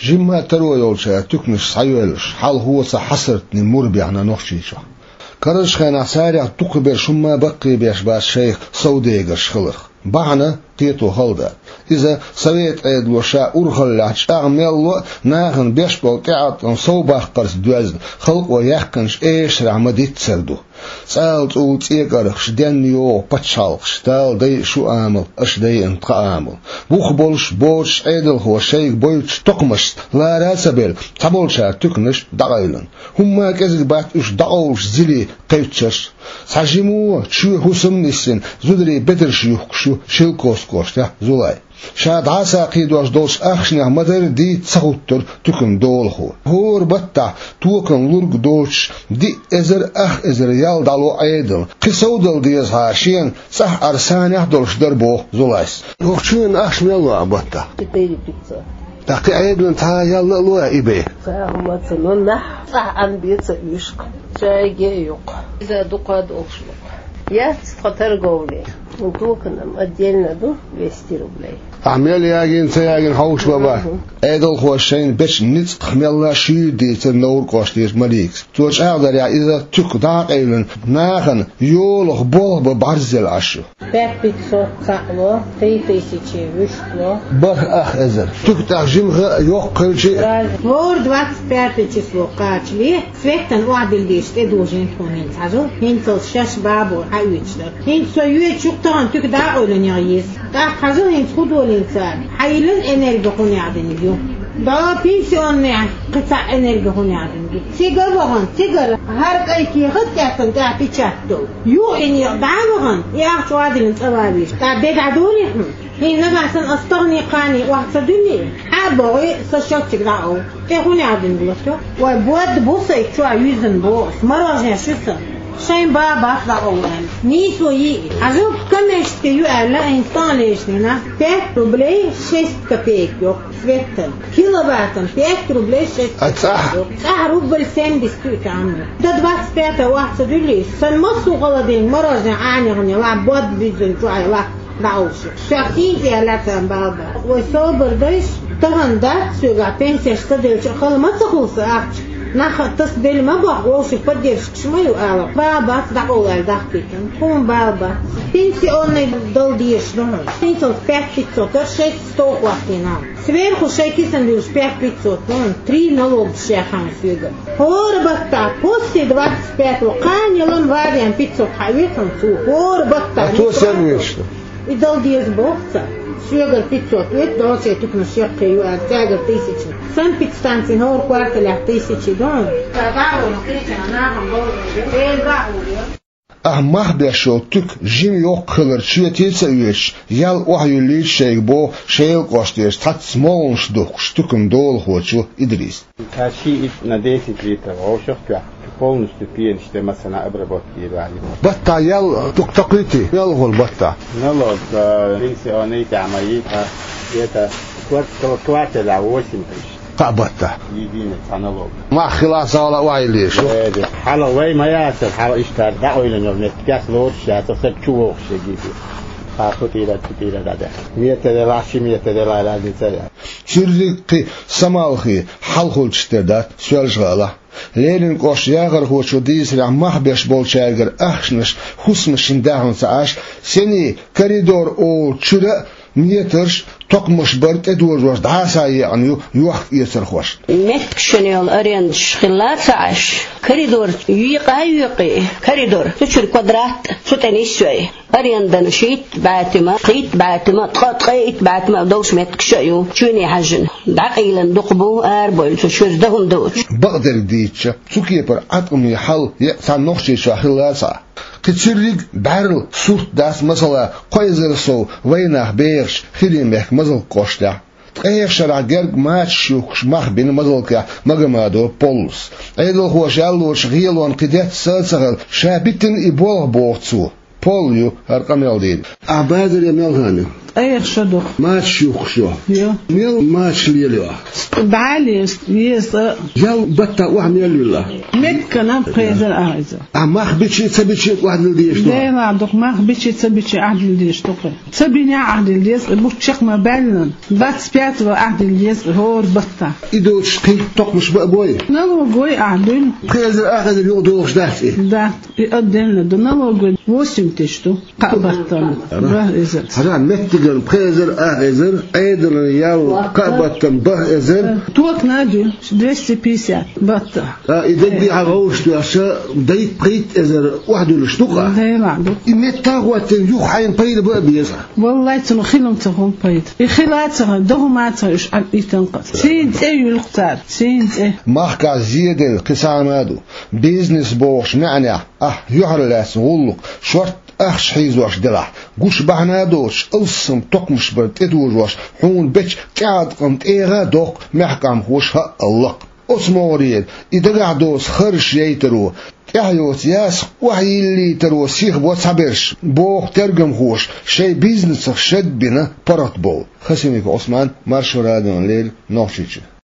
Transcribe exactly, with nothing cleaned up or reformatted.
Жимма а таро йолчара туьканаш схьайоьллаш, хьалхо ца хьасартни мур баьхна Нохчийчохь. Карарчу хенахь царех дукхахберш хӀумма а баккхийбеш бац шайх совдегарш хиларх. Бахьана кхето хала дац. Иза Совет Ӏедало ша урхаллехь чӀагӀ мел ло а, нахана беш болу тӀеӀаткъам совбаккхарца доьзна, халкъо яьккхинчу эшарехь ма-диццара ду. ЦӀала цӀула цӀе кӀаргӀаш, денна йогӀу пачхьалкхаш, Дала дайа шу амал, аша дайина тхан амал. Бух болуш боцуш Ӏедалхоша шайга бойтучу токхамашца лара а ца белла, цхьаболчара туьканаш дӀакъевлина. ХӀумма а кӀезиг бац уьш дӀакъовлуш зилий кхевччарш. Цхьа жима чоь хӀусам а нисдина, зударий бедарш юхкуш ю Шелковски кӀоштахь Зулай. Ша дӀасакхийдош долчу ахчанех ма-дарра дийца ца хӀуттура туьканан долахо. ХӀора баттахь токанан лург доцуш диъ эзар ах эзар ял дӀало Ӏедална. Кхин совдала деза хьа шена, цӀахь Ӏар санехь а долуш дара, боху Зулайс. ХӀокху чоьнан ахча мел ло ахь баттахь? Четыре пятьсот. ТӀаккха кхин Ӏедална цхьа ял а ло ахь и бен? Цхьа а хӀума ца ло, нах цӀахь Ӏан бен ца оьшу-кх. Шайге а ю-кх. Иза дукха а долуш ду-кх. Яц тхан торговле. Токанан отдельно ду двести рублей. Ахь мел ягийна, ца ягийна хьовсуш бан бац. Мгм. Ӏедалхоша шайна бечу ницкъах мелла а шуьйра дийцира Невран кӀоштера Маликас. Цо чӀагӀдарехь, иза туька дӀа а къевлина, нахана йолах болх бан бӀарзъелла Ӏаш ю. Пять пятьсот цхьаъ ло, три тысячи вуьшта ло. БархӀ ах эзар. Туька тӀехь жимха а йоккха хилча а. ХӀора двадцать пятое число кхачале, Светана охьадилла дезаш тӀедожийна тхуна хӀинца хьажал, хӀинцалц шаьш бабо хьаоьцуш дара. ХӀинца со йоьдуш ю-кх тахана туька дӀа а къевлина яха еза. ТӀаккха хьажал хӀинца хӀун долийна цара. Хьайиллина энерго хӀунех динарг ю. ДӀо пенсионный кхин цхьаъ энерго хӀунех динарг ю. Цига а вахана, цигара хӀара кӀай кехат а кхеттана тӀехь печать долу. Юха и некъ дӀа а вахана, и ахча охьадиллина цӀа ван везаш. ТӀаккха де дӀадолий хьуна? ХӀинца нагахь санна ас тахана кхана охьа ца дуьллий, хьа а бохий, сан счётчик дӀа а ов. ТӀе хӀунех дина латто? Вай, бод бу сайга чохь юьззина боху ас, мороженое шу сан. Шайн бабас дӀакъовла аьлла. Нийсо йий и. Хьажал, коммерческий ю аьлла, хӀинца тӀе лечу дийнахь пять рублей шесть копеек йоккху Светана. Киловаттана пять рублей шесть копеек йоккху. ЦӀахь рубль семьдесят ю и там. До двадцать пятого охьа ца дуьллий, сан массо а холодильник мороженое Ӏанехь лахь, бод буьззина чохь лахь. ДӀаалуш. Шех сийна тӀе лаьцна бала бац. Вай собар дайша, тахана дац соьгахь пенсеш ца делча а хала ма ца хуьлу сан ахча. Нах тасабелла ма боху, вовшийн поддержкаш ма ю ала. Бала бац дӀакъовла аьлла дахкийтина. Хьуна бала бац. Пенсионный дала дезаш ду хьуна. ХӀинцалц пять пятьсот, шесть сто хӀоттийна. Сверху шайн кисана дуьллуш пять пятьсот, хьуна три налогаш яьхна соьгара. ХӀора баттахь, после двадцать пятого, кхана ялан вариант пятьсот хьаоьцу хьуна цо. ХӀора баттахь. А то сам вешта. И дала деза боху цара. Соьгара пятьсот оьцу, долчу туьканаш яккхий ю аьлла, цаьргара тысяча. Санэпидстанцин хӀора кварталехь тысяча ду. Ца дӀа а вахана, кхечанхьа нахана бовзар ю. Эла баьхьа ву. Ахь мах беш йолу туька жима йоккха хилар чоьте ца оьцуш, ял охьаюьллийта шайга боху Шелан кӀоштера цхьацца могӀанаш духкучу туьканан долахочо Идриса. Ша шиъ итт на десять литров вовшах тоьхна, полностью пенаш тӀе массанхьа обработка йийр ваьлла. Баттахь ял дукха токхуьйтий, мел хуьлу баттахь? Налог, э, пенсионный тӀехь ма йий, а это квар-, кварталехь восемь тысяч. Кхаа баттахь. Единый цхьа налог. Мах хилахь, сагӀа охьайиллийша. Э, де. Хьалха вай ма яцара, хьалха иштта дӀакъевлина йолу меттигаш лоруш яцара, сан чу вогӀуш егийти. Кхаа кху тӀера, кху тӀера дӀадаьхна. Метр делахь, ши метр делахь разница яц. Цуьрриг кхин самалхе хьалхалчаш тера дац Соьлжа-ГӀалахь. Ленин кӀоштан яхархочо дийцарехь, мах беш болчаьргара ахчанаш хӀусамашна даьхна ца Ӏаш, сенний коридор олучу чуьра а метраш, токхамаш бар тӀедожош дӀасаекъна ю йохк-эцархошна. Меттигашна йолу арендаш хилла ца Ӏаш, коридор юкъа а юькъий, коридор, цу чуьра квадрат, цу тӀе нисвей. Арендана шийтта бӀаьтима, кхийтта бӀаьтима, ткъа, ткъе итт бӀаьтима долуш меттигаш а ю, чуьне хьаьжжина. ДӀакъийлина дукха бу, арабевлла цу чуьра дахам доцуш. Бакъдерг дийцича, цу кепара Ӏаткъаме хьал еккъа цхьана Нохчийчохь хилла ца Ӏа. Кхин цуьрриг бӀаьрла сурт дац, масала, кхо эзар сов вайнах бехачу ХӀирийн мехкан Мазалк кӀоштехь. Ткъех шарахь герга мачаш юхкуш мах бина Мазалкехь Магомадов Поллас. Ӏедалхоша яллочу гӀелонна кхин детташ а ца хилла, ша битина и болх, боху цо. Полла ю хӀара къамел дийр. Ахь базаре мел хан ю? Айхьа шо доху. Мачаш юхкуш ю. Йо. Мел мачаш лелайо? ДӀа а леза, еза. Ял баттахь охьа мел вилла? Меттана пхи эзар ах эзар. А мах бича а, ца бича а охьадилла дезаш ду? Делахь дукха, мах бича а, ца бича а охьадилла дезаш ду-кх. Ца бинехь охьадилла деза, бутт чекх ма баьллинехь. Двадцать пятого охьадилла деза хӀора баттахь. И доцуш кхин токхамаш бан а бой? Налоговой охьадуьллу. Пхи эзар, ах эзар юкъа догӀуш дац и? Да, и отдельно ду. Налоговой восемь тысяч ду. Кхаа баттана. Ара. БархӀ эзар. Хьажа, меттиган пхи эзар, ах эзар, Ӏедалан ял кхаа баттана бархӀ эзар. Токана а дуьллу, двести пятьдесят баттахь. А, и дагадехьа гӀовшаш доьхча, дайта-пхийтта эзар охьадуьллуш ду-кх. Делахь ду. И метта а хӀоттийна, юха хьайна пайда бан а беза? Валлай, цунах хила-м ца хуьлу пайда. И хила а ца хилла, доху ма ца, уьш Ӏад иттан къа. Цхьана цӀе юьллу-кх цара, цхьана цӀе. Махкахь зеделла кхин цхьа хӀума а ду. Бизнес бохучу маьӀнехь, ахь юьхьарлаьцна гӀуллакх, шортта ахча хьийзош делахь, гуш бахьана а доцуш, алссам токхамаш бар тӀетужош, хьуна бечу тӀеӀаткъам тӀегӀа а доккху мехкамхоша хӀаъ а лакха. Оцу могӀарера и дагахь доцу харжаш яйтаро, тӀаьхьа йоцу ясакх охьайиллийтаро сихабо цхьаберш, боху тергамхоша, шайн бизнесах шед а бина паргӀатбовла. Хасимиков Ӏусман, Маршо радиона леррина, Нохчийчоь.